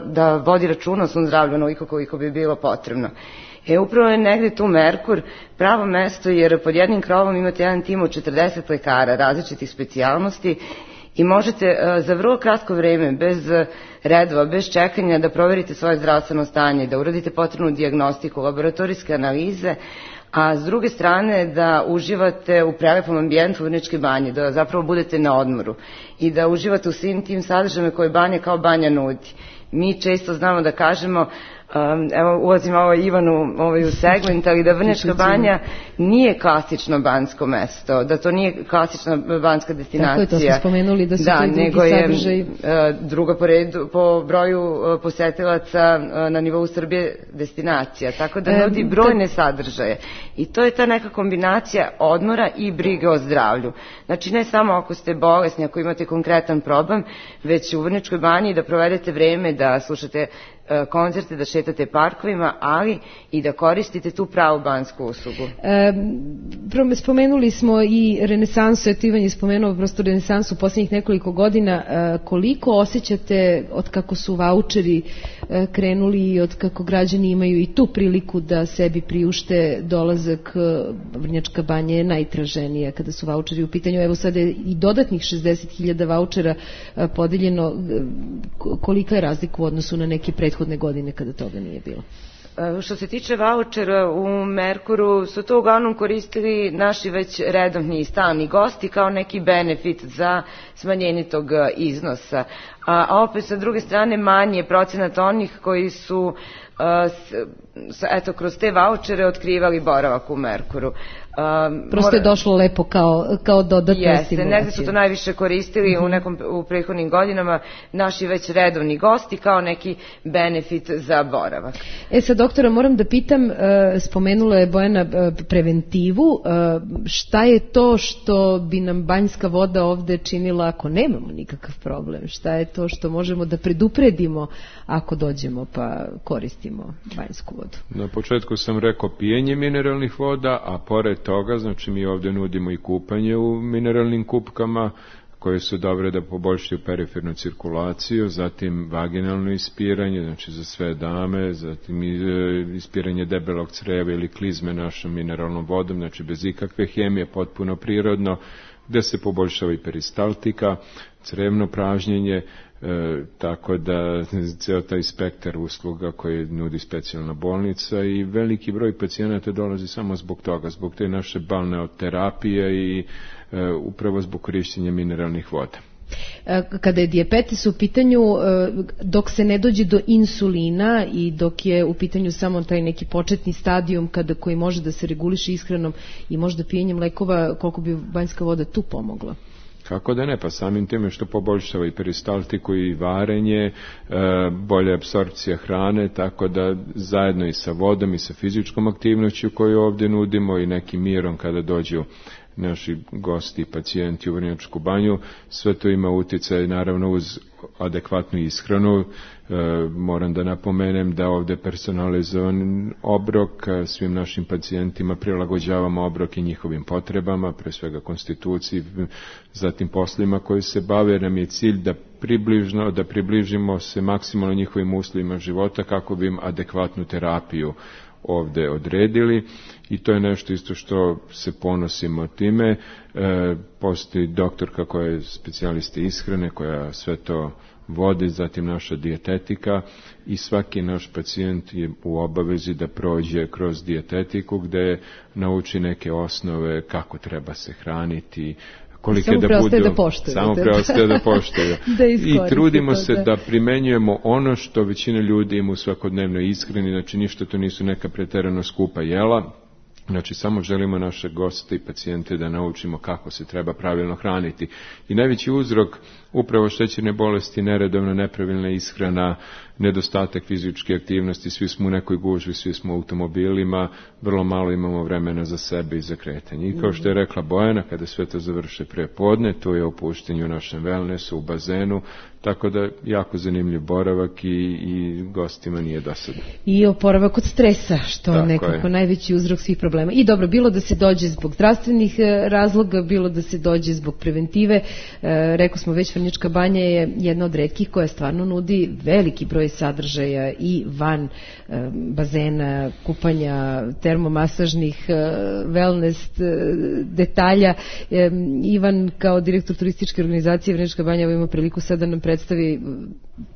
da vodi računa o svom zdravlju onoliko koliko bi bilo potrebno. E, upravo je negde tu Merkur pravo mesto, jer pod jednim krovom imate jedan tim od četrdeset lekara različitih specijalnosti i možete uh, za vrlo kratko vreme, bez uh, redova, bez čekanja, da proverite svoje zdravstveno stanje, da uradite potrebnu dijagnostiku, laboratorijske analize, a s druge strane da uživate u prelepom ambijentu Vrnjačke banje, da zapravo budete na odmoru i da uživate u svim tim sadržajima koje banja kao banja nudi. Mi često znamo da kažemo, Um, evo ulazim ovo Ivanu ovaj, u segment, ali da Vrnjačka banja nije klasično banjsko mesto, da to nije klasična banjska destinacija. Tako je, to smo spomenuli da su da, to drugi sadržaj. Uh, druga po, redu, po broju uh, posetilaca uh, na nivou Srbije destinacija, tako da nudi brojne sadržaje. I to je ta neka kombinacija odmora i brige o zdravlju. Znači ne samo ako ste bolesni, ako imate konkretan problem, već u Vrnjačkoj banji da provedete vreme, da slušate koncerte, da šetate parkovima, ali i da koristite tu pravu banjsku uslugu. E, spomenuli smo i renesansu, eto Ivan je spomenuo prosto renesansu u posljednjih nekoliko godina. E, koliko osjećate od kako su vaučeri e, krenuli i od kako građani imaju i tu priliku da sebi priušte dolazak? Vrnjačka banja je najtraženija kada su vaučeri u pitanju. Evo sada je i dodatnih šezdeset hiljada vaučera e, podeljeno. Kolika je razlika u odnosu na neke prethodne godine kada toga nije bilo? Što se tiče vaučera, u Merkuru su to uglavnom koristili naši već redovni i stalni gosti kao neki benefit za smanjenje tog iznosa. A opet sa druge strane manje procenat onih koji su eto kroz te vaučere otkrivali boravak u Merkuru. Um, Prosto je došlo lepo kao, kao dodatna jeste, stimulacija. Negde su to najviše koristili mm-hmm. u nekom u prethodnim godinama naši već redovni gosti kao neki benefit za boravak. E sad, doktora, moram da pitam, spomenula je Bojana preventivu, šta je to što bi nam banjska voda ovde činila ako nemamo nikakav problem? Šta je to što možemo da predupredimo ako dođemo pa koristimo banjsku vodu? Na početku sam rekao pijenje mineralnih voda, a pored toga, znači mi ovdje nudimo i kupanje u mineralnim kupkama koje su dobre da poboljšaju perifernu cirkulaciju, zatim vaginalno ispiranje, znači za sve dame, zatim ispiranje debelog creva ili klizme našom mineralnom vodom, znači bez ikakve hemije, potpuno prirodno, gde se poboljšava i peristaltika, crevno pražnjenje, E, tako da ceo taj spektar usluga koje nudi specijalna bolnica i veliki broj pacijenata dolazi samo zbog toga, zbog te naše balneoterapije i e, upravo zbog korišćenja mineralnih voda. Kada je dijabetes u pitanju, dok se ne dođe do insulina i dok je u pitanju samo taj neki početni stadijum kada koji može da se reguliše ishranom i možda pijenjem lekova, koliko bi banjska voda tu pomogla? Kako da ne, pa samim time što poboljšava i peristaltiku i varenje, e, bolja apsorpcija hrane, tako da zajedno i sa vodom i sa fizičkom aktivnošću koju ovdje nudimo i nekim mirom kada dođu naši gosti i pacijenti u Vrnjačku banju, sve to ima utjecaj naravno uz adekvatnu ishranu. E, moram da napomenem da ovdje personalizovan obrok, svim našim pacijentima prilagođavamo obrok i njihovim potrebama, pre svega konstituciji, zatim poslima koji se bave, nam je cilj da približno, da približimo se maksimalno njihovim uslovima života kako bi im adekvatnu terapiju ovdje odredili i to je nešto isto što se ponosimo time. E, postoji doktorka koja je specijalista ishrane koja sve to vodi, zatim naša dijetetika i svaki naš pacijent je u obavezi da prođe kroz dijetetiku gdje nauči neke osnove kako treba se hraniti, kolike samo da budu, da poštuju, samo preostaje da poštuju. da I trudimo to, se da. da primenjujemo ono što većina ljudi ima u svakodnevnoj ishrani, znači ništa to nisu neka preterano skupa jela, znači samo želimo naše goste i pacijente da naučimo kako se treba pravilno hraniti. I najveći uzrok upravo šećerne bolesti, neredovna nepravilna ishrana, nedostatak fizičke aktivnosti, svi smo u nekoj gužvi, svi smo u automobilima, vrlo malo imamo vremena za sebe i za kretanje. I kao što je rekla Bojana, kada sve to završe pre podne, to je opuštenje u našem wellnessu, u bazenu, tako da jako zanimljiv boravak i, i gostima nije dosadno. I oporavak od stresa, što je nekako je. najveći uzrok svih problema. I dobro, bilo da se dođe zbog zdravstvenih razloga, bilo da se dođe zbog preventive. E, rekao smo već, Vrnjačka banja je jedna od retkih koja stvarno nudi veliki broj sadržaja i van e, bazena, kupanja, termomasažnih, e, wellness e, detalja. E, Ivan, kao direktor turističke organizacije Vrnjačka banja, ima priliku sada nam predstavi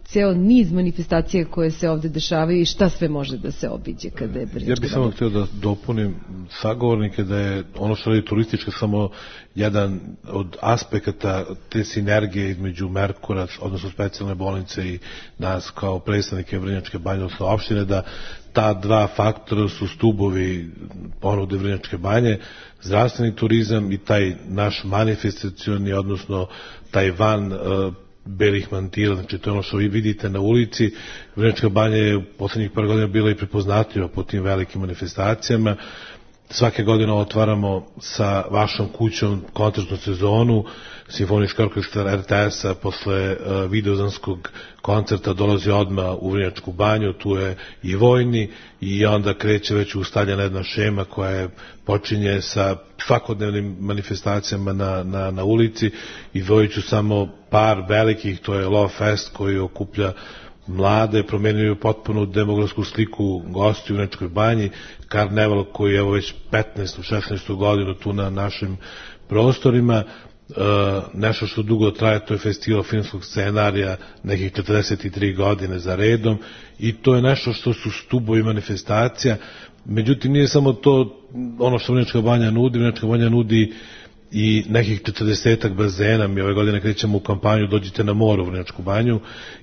ceo niz manifestacija koje se ovde dešavaju i šta sve može da se obiđe kada je Vrnjačka banja. Ja bih samo htio da dopunim sagovornike da je ono što radi turistička samo jedan od aspekata te sinergije između Merkura, odnosno specijalne bolnice i nas kao predstavnike Vrnjačke banje, odnosno opštine, da ta dva faktora su stubovi ponude Vrnjačke banje, zdravstveni turizam i taj naš manifestacioni, odnosno taj van uh, belih mantila, znači to je ono što vi vidite na ulici. Vrnjačka banja je u poslednjih par godina bila i prepoznatljiva po tim velikim manifestacijama. Svake godine otvaramo sa vašom kućom koncertnu sezonu, Simfonička orkestra er te es-a posle uh, videozanskog koncerta dolazi odmah u Vrnjačku banju, tu je i vojni i onda kreće već ustaljena jedna šema koja je, počinje sa svakodnevnim manifestacijama na, na, na ulici. Izdvojit ću samo par velikih, to je Love Fest koji okuplja mlade, promenjuju potpuno demografsku sliku gosti u Vrnjačkoj banji, Karneval koji je evo već petnaestu šesnaestu godinu tu na našim prostorima, e, nešto što dugo traje, to je festival filmskog scenarija, nekih četrdeset tri godine za redom, i to je nešto što su stubovi manifestacija. Međutim, nije samo to ono što Vrnjačka banja nudi, Vrnjačka banja nudi i nekih četrdesetak bazena. Mi ove godine krećemo u kampanju Dođite na more u Vrnjačku banju,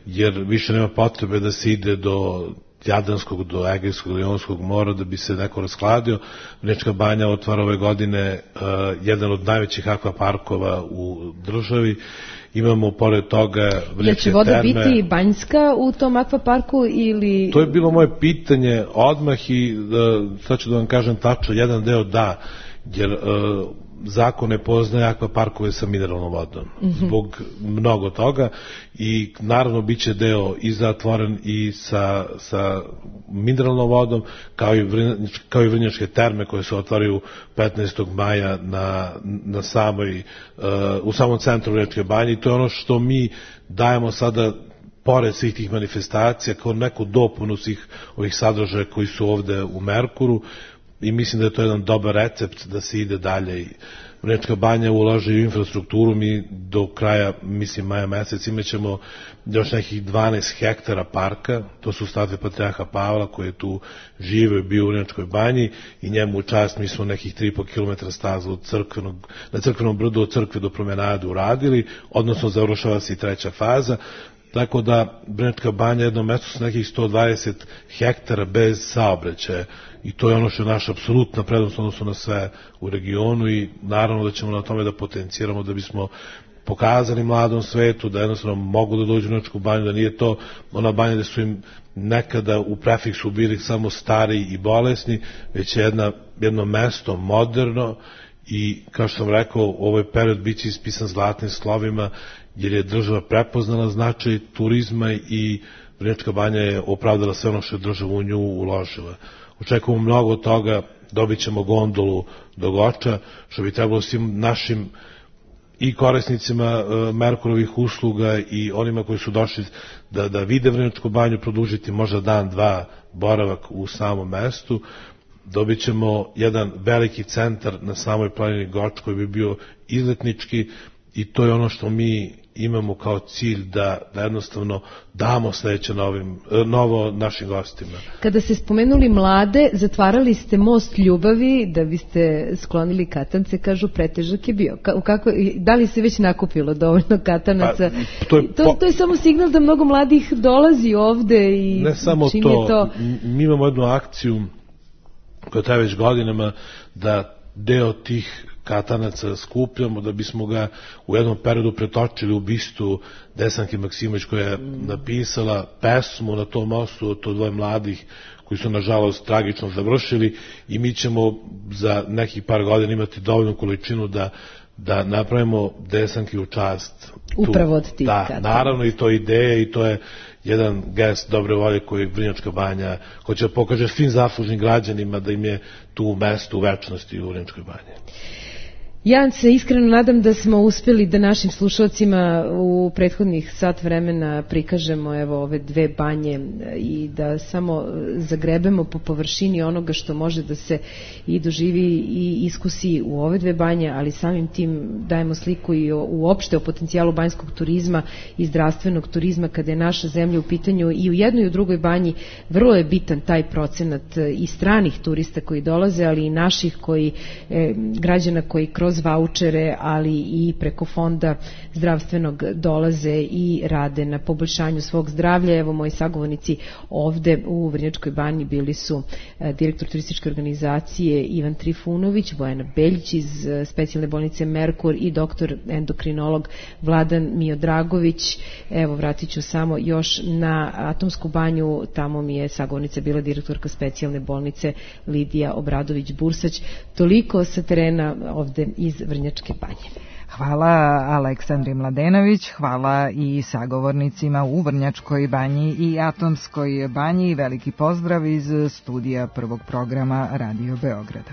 jer više nema potrebe da se ide do Jadranskog, do Egejskog, do Jonskog mora da bi se neko raskladio. Vrnjačka banja otvara ove godine uh, jedan od najvećih akvaparkova u državi. Imamo pored toga Vrnjačke terme. Jel će voda biti banjska u tom akvaparku ili... To je bilo moje pitanje odmah i uh, sad ću da vam kažem tačno, jedan deo da, jer uh, zakon ne poznaje akvaparkove sa mineralnom vodom, mm-hmm. zbog mnogo toga, i naravno bit će deo i zatvoren i sa, sa mineralnom vodom, kao i, vrnjačke, kao i Vrnjačke terme koje se otvaraju petnaestog maja na, na samoj, uh, u samom centru Vrnjačke banje, i to je ono što mi dajemo sada pored svih tih manifestacija kao neku dopunu svih ovih sadržaja koji su ovde u Merkuru. I mislim da je to jedan dobar recept da se ide dalje. Vrnjačka banja ulaže u infrastrukturu, mi do kraja, mislim, maja mesec imaćemo još nekih dvanaest hektara parka, to su statue Patrijarha Pavla koji je tu žive, bio u Vrnjačkoj banji, i njemu u čast mi smo nekih tri i po kilometra staza od crkvenog, na crkvenom brdu od crkve do promenade uradili, odnosno završava se i treća faza. Tako da Vrnjačka banja je jedno mesto sa nekih sto dvadeset hektara bez saobraćaja, i to je ono što je naša apsolutna prednost odnosno na sve u regionu, i naravno da ćemo na tome da potenciramo da bismo pokazali mladom svetu da jednostavno mogu da dođu u Vrnjačku banju, da nije to ona banja da su im nekada u prefiksu bili samo stari i bolesni, već je jedna, jedno mesto moderno, i kao što sam rekao, ovaj period bit će ispisan zlatnim slovima, jer je država prepoznala značaj turizma i Vrnjačka banja je opravdala sve ono što je država u nju uložila. Očekujemo mnogo od toga, dobit ćemo gondolu do Goča, što bi trebalo svim našim i korisnicima uh, Merkurovih usluga i onima koji su došli da, da vide Vrnjačku banju produžiti možda dan, dva boravak u samom mestu. Dobit ćemo jedan veliki centar na samoj planini Goč koji bi bio izletnički, i to je ono što mi imamo kao cilj da, da jednostavno damo sledeće novim, novo našim gostima. Kada ste spomenuli mlade, zatvarali ste most ljubavi da biste sklonili katance, kažu pretežak je bio. Ka, kako, da li se već nakupilo dovoljno katanaca? Pa, to, je to, po... to je samo signal da mnogo mladih dolazi ovde i ne samo čini to, to. Mi imamo jednu akciju koja traje već godinama da deo tih katanaca skupljamo da bismo ga u jednom periodu pretočili u bistu Desanke Maksimović koja je napisala pesmu na tom mostu, to dvoje mladih koji su nažalost tragično završili i mi ćemo za nekih par godina imati dovoljnu količinu da da napravimo Desanki u čast. Upravo od tih. Da, naravno i to je ideja i to je jedan gest dobre volje koji Vrnjačka Banja hoće da pokaže svim zaslužnim građanima da im je tu mesto u večnosti u Vrnjačkoj Banji. Ja se iskreno nadam da smo uspeli da našim slušalcima u prethodnih sat vremena prikažemo evo ove dve banje i da samo zagrebemo po površini onoga što može da se i doživi i iskusi u ove dve banje, ali samim tim dajemo sliku i o, uopšte o potencijalu banjskog turizma i zdravstvenog turizma kada je naša zemlja u pitanju. I u jednoj i u drugoj banji vrlo je bitan taj procenat i stranih turista koji dolaze, ali i naših koji, e, građana koji kroz vaučere, ali i preko fonda zdravstvenog dolaze i rade na poboljšanju svog zdravlja. Evo, moji sagovornici ovde u Vrnjačkoj Banji bili su direktor turističke organizacije Ivan Trifunović, Bojana Beljić iz specijalne bolnice Merkur i doktor endokrinolog Vladan Miodragović. Evo, vratit ću samo još na Atomsku banju, tamo mi je sagovornica bila direktorka specijalne bolnice Lidija Obradović-Bursać. Toliko sa terena ovde iz Vrnjačke Banje. Hvala Aleksandri Mladenović, hvala i sagovornicima u Vrnjačkoj Banji i Atomskoj banji. Veliki pozdrav iz studija prvog programa Radio Beograda.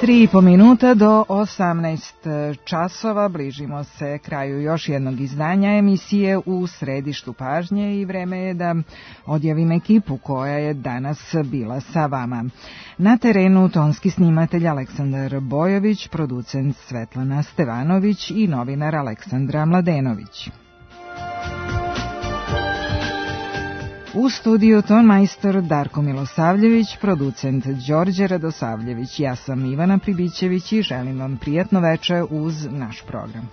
Tri i po minuta do osamnaest časova, bližimo se kraju još jednog izdanja emisije U središtu pažnje i vreme je da odjavim ekipu koja je danas bila sa vama. Na terenu tonski snimatelj Aleksandar Bojović, producent Svetlana Stevanović i novinar Aleksandra Mladenović. U studiju tonmajstor Darko Milosavljević, producent Đorđe Radosavljević. Ja sam Ivana Pribićević i želim vam prijatno veče uz naš program.